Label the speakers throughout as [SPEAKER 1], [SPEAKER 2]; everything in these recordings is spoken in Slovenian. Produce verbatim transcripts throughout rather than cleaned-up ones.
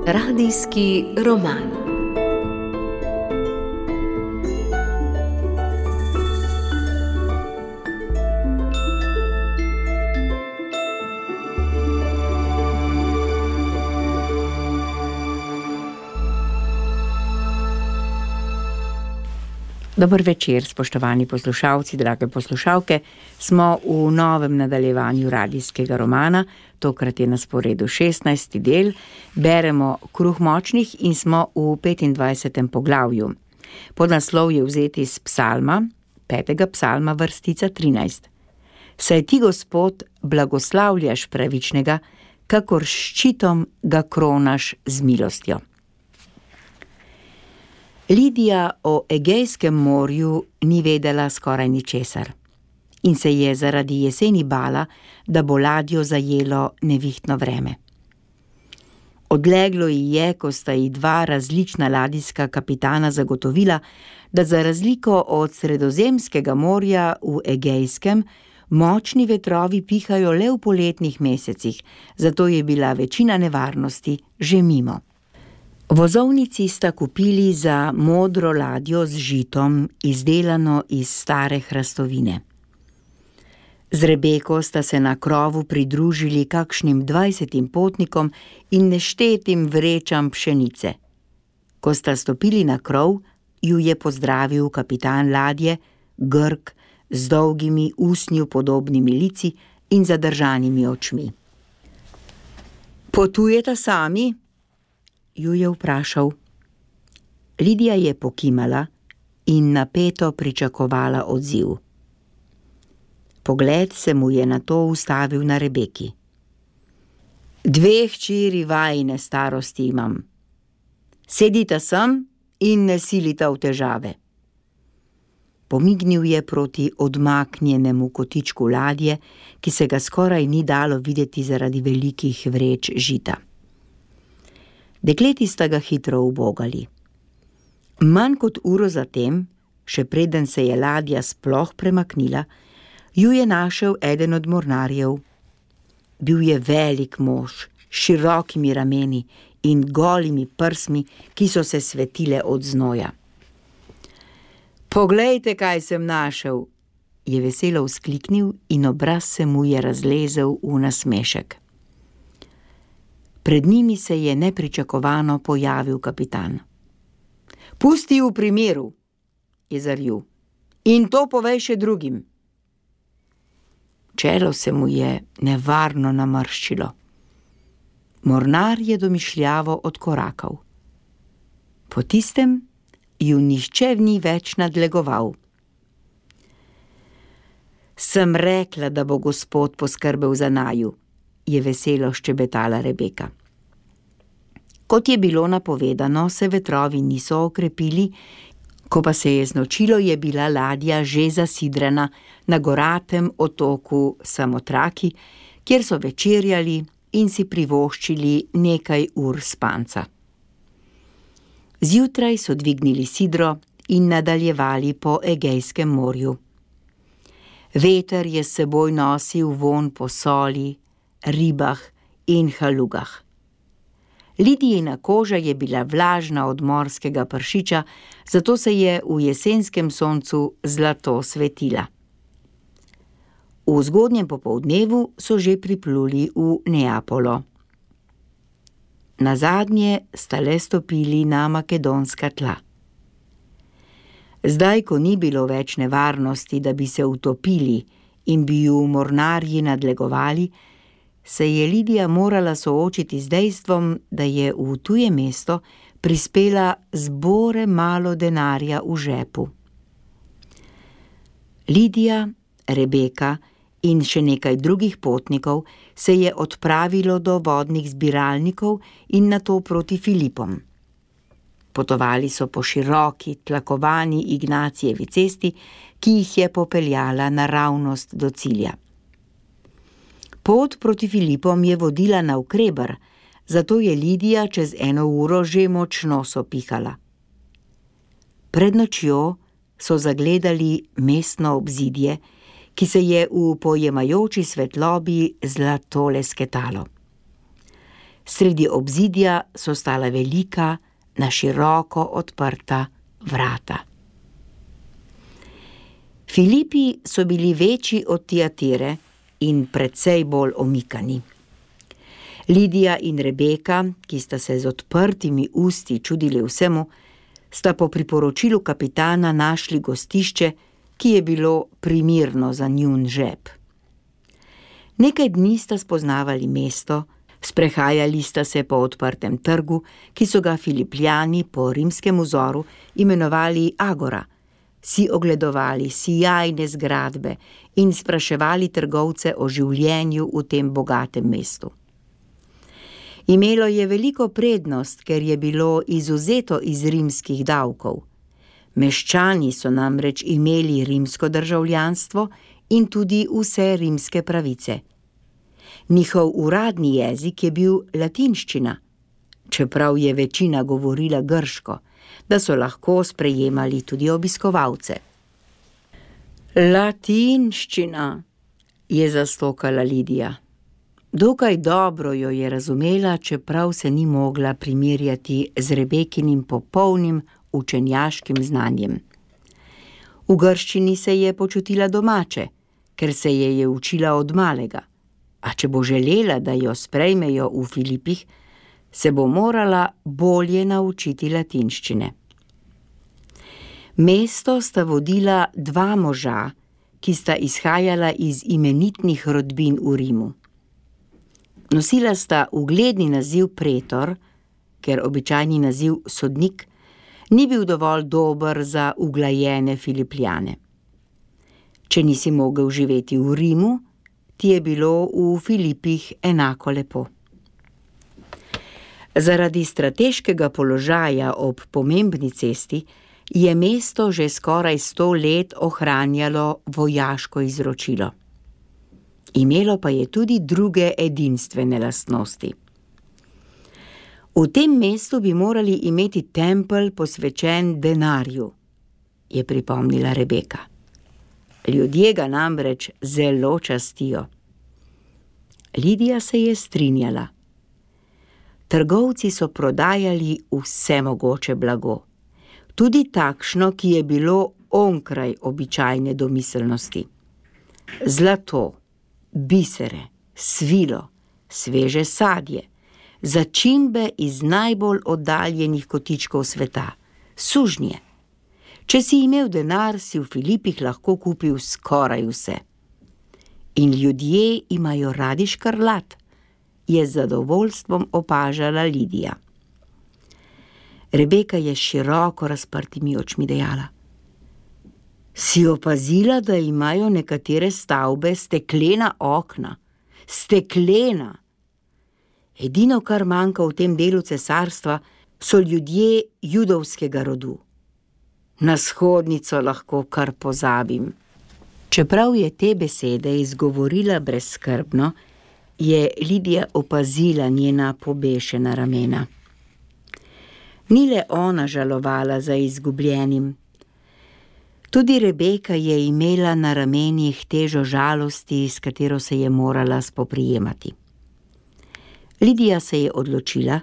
[SPEAKER 1] Radijski roman.
[SPEAKER 2] Dober večer, spoštovani poslušalci, drage poslušalke. Smo v novem nadaljevanju radijskega romana, tokrat je na sporedu šestnajsti del. Beremo Kruh močnih in smo v petindvajsetem poglavju. Podnaslov je vzet iz psalma, petega psalma, vrstica trinajst. Saj ti, Gospod, blagoslavljaš pravičnega, kakor ščitom ga kronaš z milostjo. Lidija o Egejskem morju ni vedela skoraj ničesar in se je zaradi jeseni bala, da bo ladjo zajelo nevihtno vreme. Odleglo ji je, ko sta ji dva različna ladijska kapitana zagotovila, da za razliko od Sredozemskega morja v Egejskem močni vetrovi pihajo le v poletnih mesecih, zato je bila večina nevarnosti že mimo. Vozovnici sta kupili za modro ladjo z žitom, izdelano iz stare hrastovine. Z Rebeko sta se na krovu pridružili kakšnim dvajsetim potnikom in neštetim vrečam pšenice. Ko sta stopili na krov, ju je pozdravil kapitan ladje, Grk, z dolgimi usnju podobnimi lici in zadržanimi očmi. Potujeta sami? Ju je vprašal. Lidija je pokimala in napeto pričakovala odziv. Pogled se mu je nato ustavil na Rebeki. Dve hčeri vajine starosti imam. Sedita sem in ne silita v težave. Pomignil je proti odmaknjenemu kotičku ladje, ki se ga skoraj ni dalo videti zaradi velikih vreč žita. Dekleti sta ga hitro ubogali. Manj kot uro zatem, še preden se je ladja sploh premaknila, ju je našel eden od mornarjev. Bil je velik mož, s širokimi rameni in golimi prsmi, ki so se svetile od znoja. Poglejte, kaj sem našel, je veselo vzkliknil in obraz se mu je razlezel v nasmešek. Pred njimi se je nepričakovano pojavil kapitan. Pusti v primeru, je zarjul, in to povej še drugim. Čelo se mu je nevarno namrščilo. Mornar je domišljavo odkorakal. Po tistem ju nihče ni več nadlegoval. Sem rekla, da bo Gospod poskrbel za naju, je veselo ščebetala Rebeka. Kot je bilo napovedano, se vetrovi niso okrepili, ko pa se je znočilo, je bila ladja že zasidrana na goratem otoku Samotraki, kjer so večerjali in si privoščili nekaj ur spanca. Zjutraj so dvignili sidro in nadaljevali po Egejskem morju. Veter je s seboj nosil vonj po soli, ribah in halugah. Lidijina koža je bila vlažna od morskega pršiča, zato se je v jesenskem soncu zlato svetila. V zgodnjem popoldnevu so že pripluli v Neapolo. Nazadnje sta le stopili na makedonska tla. Zdaj, ko ni bilo več nevarnosti, da bi se utopili in bi ju mornarji nadlegovali, se je Lidija morala soočiti z dejstvom, da je v tuje mesto prispela z bore malo denarja v žepu. Lidija, Rebeka in še nekaj drugih potnikov se je odpravilo do vodnih zbiralnikov in nato proti Filipom. Potovali so po široki, tlakovani Ignacijevi cesti, ki jih je popeljala naravnost do cilja. Pot proti Filipom je vodila navkreber, zato je Lidija čez eno uro že močno sopihala. Pred nočjo so zagledali mestno obzidje, ki se je v pojemajoči svetlobi zlato lesketalo. Sredi obzidja so stala velika, na široko odprta vrata. Filipi so bili večji od Tiatire in precej bolj omikani. Lidija in Rebeka, ki sta se z odprtimi usti čudili vsemu, sta po priporočilu kapitana našli gostišče, ki je bilo primirno za njun žep. Nekaj dni sta spoznavali mesto, sprehajali sta se po odprtem trgu, ki so ga Filipljani po rimskem vzoru imenovali Agora, si ogledovali sijajne zgradbe in spraševali trgovce o življenju v tem bogatem mestu. Imelo je veliko prednost, ker je bilo izvzeto iz rimskih davkov. Meščani so namreč imeli rimsko državljanstvo in tudi vse rimske pravice. Njihov uradni jezik je bil latinščina, čeprav je večina govorila grško, da so lahko sprejemali tudi obiskovalce. Latinščina, je zastokala Lidija. Dokaj dobro jo je razumela, čeprav se ni mogla primerjati z Rebekinim popolnim učenjaškim znanjem. V grščini se je počutila domače, ker se je je učila od malega, a če bo želela, da jo sprejmejo v Filipih, se bo morala bolje naučiti latinščine. Mesto sta vodila dva moža, ki sta izhajala iz imenitnih rodbin v Rimu. Nosila sta ugledni naziv pretor, ker običajni naziv sodnik ni bil dovolj dober za uglajene Filipljane. Če nisi mogel živeti v Rimu, ti je bilo v Filipih enako lepo. Zaradi strateškega položaja ob pomembni cesti je mesto že skoraj sto let ohranjalo vojaško izročilo. Imelo pa je tudi druge edinstvene lastnosti. V tem mestu bi morali imeti tempelj posvečen denarju, je pripomnila Rebeka. Ljudje ga namreč zelo častijo. Lidija se je strinjala. Trgovci so prodajali vse mogoče blago, tudi takšno, ki je bilo onkraj običajne domiselnosti. Zlato, bisere, svilo, sveže sadje, začimbe iz najbolj oddaljenih kotičkov sveta, sužnje. Če si imel denar, si v Filipih lahko kupil skoraj vse. In ljudje imajo radi škrlat, je z zadovoljstvom opažala Lidija. Rebeka je s široko razprtimi očmi dejala: Si opazila, da imajo nekatere stavbe steklena okna? Steklena! Edino, kar manjka v tem delu cesarstva, so ljudje judovskega rodu. Na shodnico lahko kar pozabim. Čeprav je te besede izgovorila brezskrbno, je Lidija opazila njena pobešena ramena. Ni le ona žalovala za izgubljenim. Tudi Rebeka je imela na ramenih težo žalosti, s katero se je morala spoprijemati. Lidija se je odločila,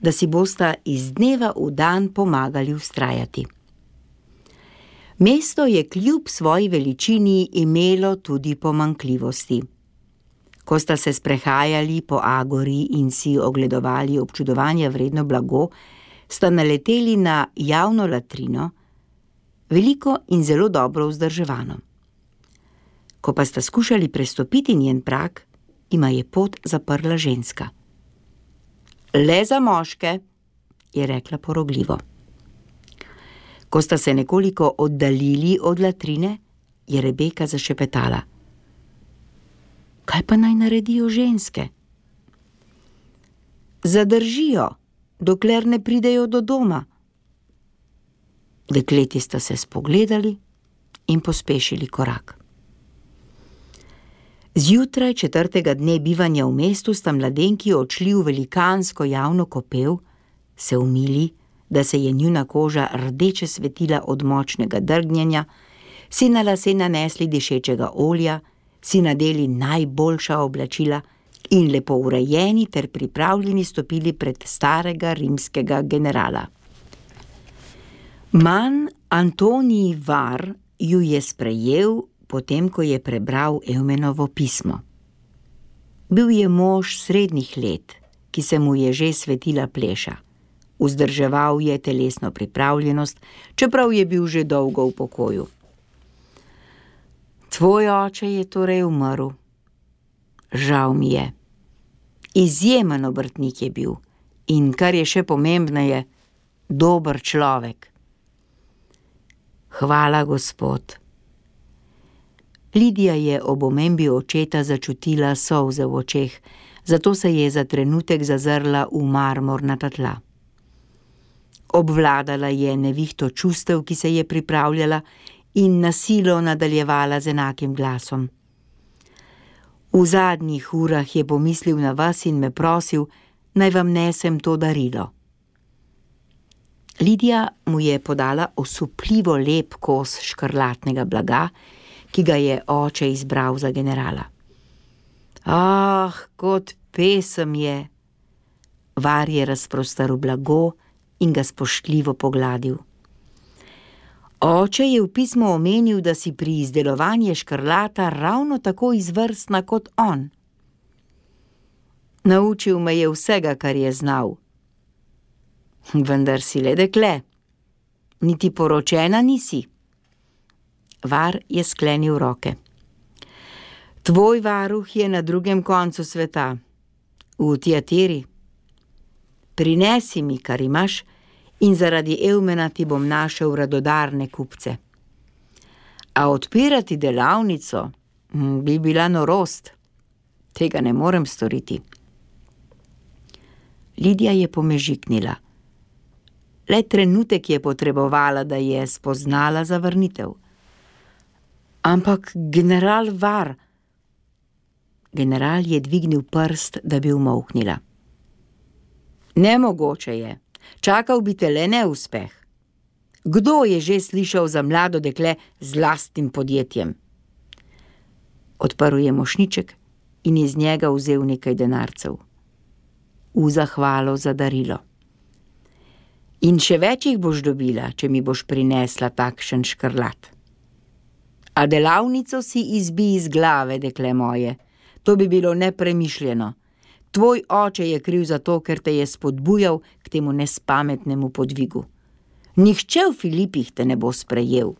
[SPEAKER 2] da si bosta iz dneva v dan pomagali vztrajati. Mesto je kljub svoji veličini imelo tudi pomanjkljivosti. Ko sta se sprehajali po Agori in si ogledovali občudovanja vredno blago, sta naleteli na javno latrino, veliko in zelo dobro vzdrževano. Ko pa sta skušali prestopiti njen prag, ima je pot zaprla ženska. Le za moške, je rekla porogljivo. Ko sta se nekoliko oddaljili od latrine, je Rebeka zašepetala: Kaj pa naj naredijo ženske? Zadržijo, dokler ne pridejo do doma. Dekleti sta se spogledali in pospešili korak. Zjutraj četrtega dne bivanja v mestu sta mladenki odšli v velikansko javno kopel, se umili, da se je njuna koža rdeče svetila od močnega drgnjenja, si na lase nanesli dišečega olja, si nadeli najboljša oblačila in lepo urejeni ter pripravljeni stopili pred starega rimskega generala. Man Antonij Var ju je sprejel, potem ko je prebral Eumenovo pismo. Bil je mož srednjih let, ki se mu je že svetila pleša. Vzdrževal je telesno pripravljenost, čeprav je bil že dolgo v pokoju. Tvoj oče je torej umrl. Žal mi je. Izjemen obrtnik je bil in, kar je še pomembneje, dober človek. Hvala, gospod. Lidija je ob omembi očeta začutila solze v očeh, zato se je za trenutek zazrla v marmornata tla. Obvladala je nevihto čustev, ki se je pripravljala, in na silo nadaljevala z enakim glasom. V zadnjih urah je pomislil na vas in me prosil, naj vam nesem to darilo. Lidija mu je podala osupljivo lep kos škrlatnega blaga, ki ga je oče izbral za generala. Ah, kot pesem je! Var je razprostaril blago in ga spoštljivo pogladil. Oče je v pismu omenil, da si pri izdelovanju škrlata ravno tako izvrstna kot on. Naučil me je vsega, kar je znal. Vendar si le dekle. Niti poročena nisi. Var je sklenil roke. Tvoj varuh je na drugem koncu sveta, v Tiatiri. Prinesi mi, kar imaš, in zaradi Eumena ti bom našel radodarne kupce. A odpirati delavnico bi bila norost. Tega ne morem storiti. Lidija je pomežiknila. Le trenutek je potrebovala, da je spoznala zavrnitev. Ampak general Var... General je dvignil prst, da bi umolknila. Nemogoče je. Čakal bi te le neuspeh. Kdo je že slišal za mlado dekle z lastnim podjetjem? Odprl je mošnjiček in iz njega vzel nekaj denarcev. V zahvalo za darilo. In še več jih boš dobila, če mi boš prinesla takšen škrlat. A delavnico si izbij iz glave, dekle moje. To bi bilo nepremišljeno. Tvoj oče je kriv za to, ker te je spodbujal k temu nespametnemu podvigu. Nihče v Filipih te ne bo sprejel.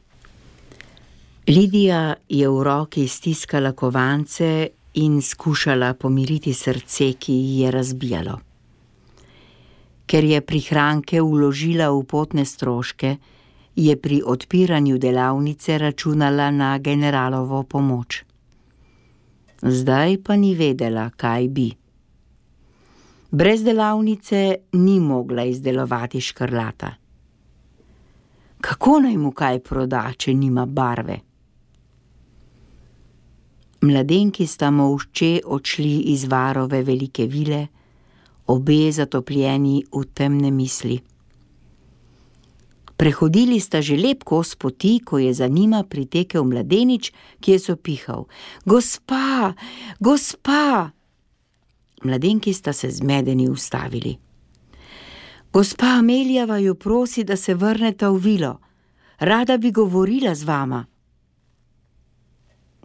[SPEAKER 2] Lidija je v roki stiskala kovance in skušala pomiriti srce, ki ji je razbijalo. Ker je prihranke vložila v potne stroške, je pri odpiranju delavnice računala na generalovo pomoč. Zdaj pa ni vedela, kaj bi. Brez delavnice ni mogla izdelovati škrlata. Kako naj mu kaj proda, če nima barve? Mladenki sta molče odšli iz Varove velike vile, obe zatopljeni v temne misli. Prehodili sta že lep kos poti, ko je za njima pritekel mladenič, ki je sopihal. Gospa, gospa! Mladenki sta se zmedeni ustavili. Gospa Amelija vaju prosi, da se vrneta v vilo. Rada bi govorila z vama.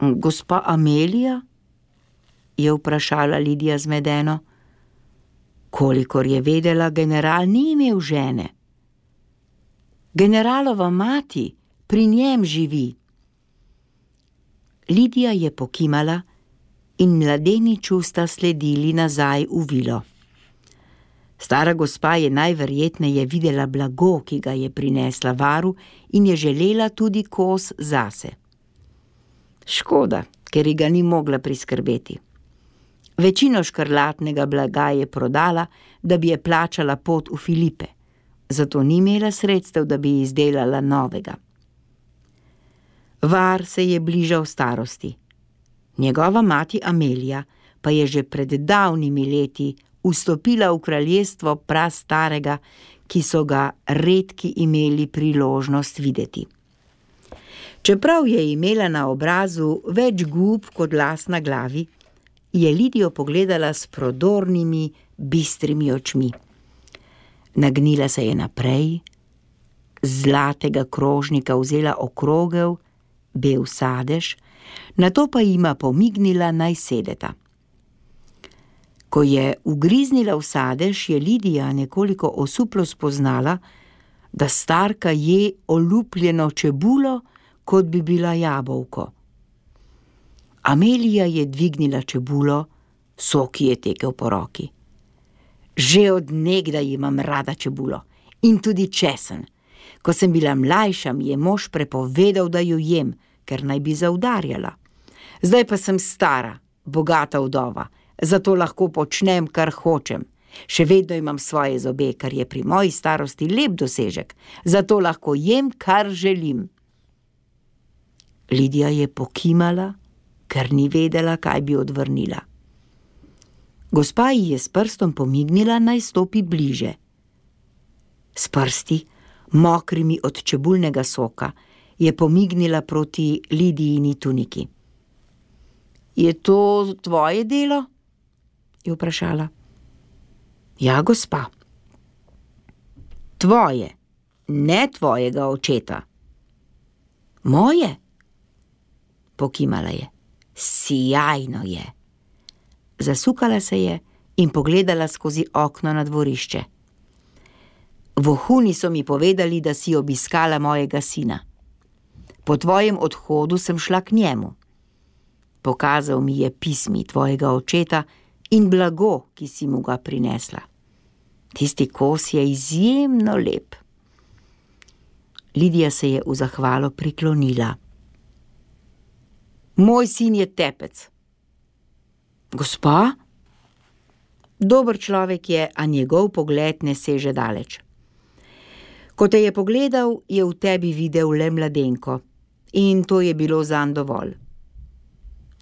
[SPEAKER 2] Gospa Amelija? Je vprašala Lidija zmedeno. Kolikor je vedela, general ni imel žene. Generalova mati pri njem živi. Lidija je pokimala in mladeniču sta sledili nazaj v vilo. Stara gospa je najverjetneje videla blago, ki ga je prinesla Varu, in je želela tudi kos zase. Škoda, ker ji ga ni mogla priskrbeti. Večino škrlatnega blaga je prodala, da bi je plačala pot v Filipe, zato ni imela sredstev, da bi izdelala novega. Var se je bližal starosti. Njegova mati Amelija pa je že pred davnimi leti vstopila v kraljestvo prastarega, ki so ga redki imeli priložnost videti. Čeprav je imela na obrazu več gub kot las na glavi, je Lidijo pogledala s prodornimi, bistrimi očmi. Nagnila se je naprej, z zlatega krožnika vzela okrogel, bel sadež, nato pa jima pomignila, naj sedeta. Ko je ugriznila v sadež, je Lidija nekoliko osuplo spoznala, da starka je olupljeno čebulo, kot bi bila jabolko. Amelija je dvignila čebulo, sok je tekel po roki. Že od nekdaj imam rada čebulo in tudi česen. Ko sem bila mlajša, mi je mož prepovedal, da jo jem, ker naj bi zaudarjala. Zdaj pa sem stara, bogata vdova, zato lahko počnem, kar hočem. Še vedno imam svoje zobe, kar je pri moji starosti lep dosežek, zato lahko jem, kar želim. Lidija je pokimala, ker ni vedela, kaj bi odvrnila. Gospa ji je s prstom pomignila, naj stopi bliže. S prsti, mokrimi od čebulnega soka, je pomignila proti Lidijini tuniki. Je to tvoje delo? Je vprašala. Ja, gospa. Tvoje, ne tvojega očeta. Moje? Pokimala je. Sijajno je. Zasukala se je in pogledala skozi okno na dvorišče. Vohuni so mi povedali, da si obiskala mojega sina. Po tvojem odhodu sem šla k njemu. Pokazal mi je pismi tvojega očeta in blago, ki si mu ga prinesla. Tisti kos je izjemno lep. Lidija se je v zahvalo priklonila. Moj sin je tepec. Gospa? Dober človek je, a njegov pogled ne seže daleč. Ko te je pogledal, je v tebi videl le mladenko in to je bilo zanj dovolj.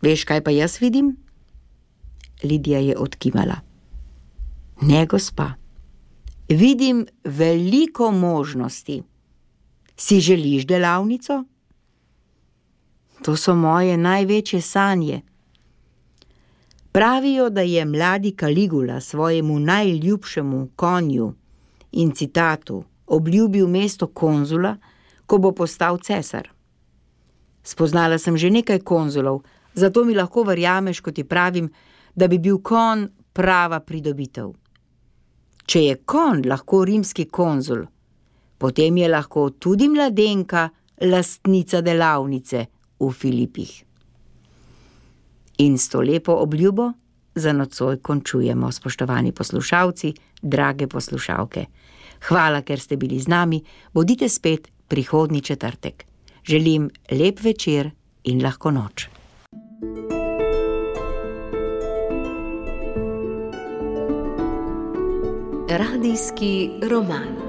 [SPEAKER 2] Veš, kaj pa jaz vidim? Lidija je odkimala. Ne, gospa. Vidim veliko možnosti. Si želiš delavnico? To so moje največje sanje. Pravijo, da je mladi Kaligula svojemu najljubšemu konju in citatu obljubil mesto konzula, ko bo postal cesar. Spoznala sem že nekaj konzulov, zato mi lahko verjameš, ko ti pravim, da bi bil konj prava pridobitev. Če je konj lahko rimski konzul, potem je lahko tudi mladenka lastnica delavnice v Filipih. In s to lepo obljubo za nocoj končujemo, spoštovani poslušalci, drage poslušalke. Hvala, ker ste bili z nami, bodite spet prihodnji četrtek. Želim lep večer in lahko noč.
[SPEAKER 1] Radijski roman.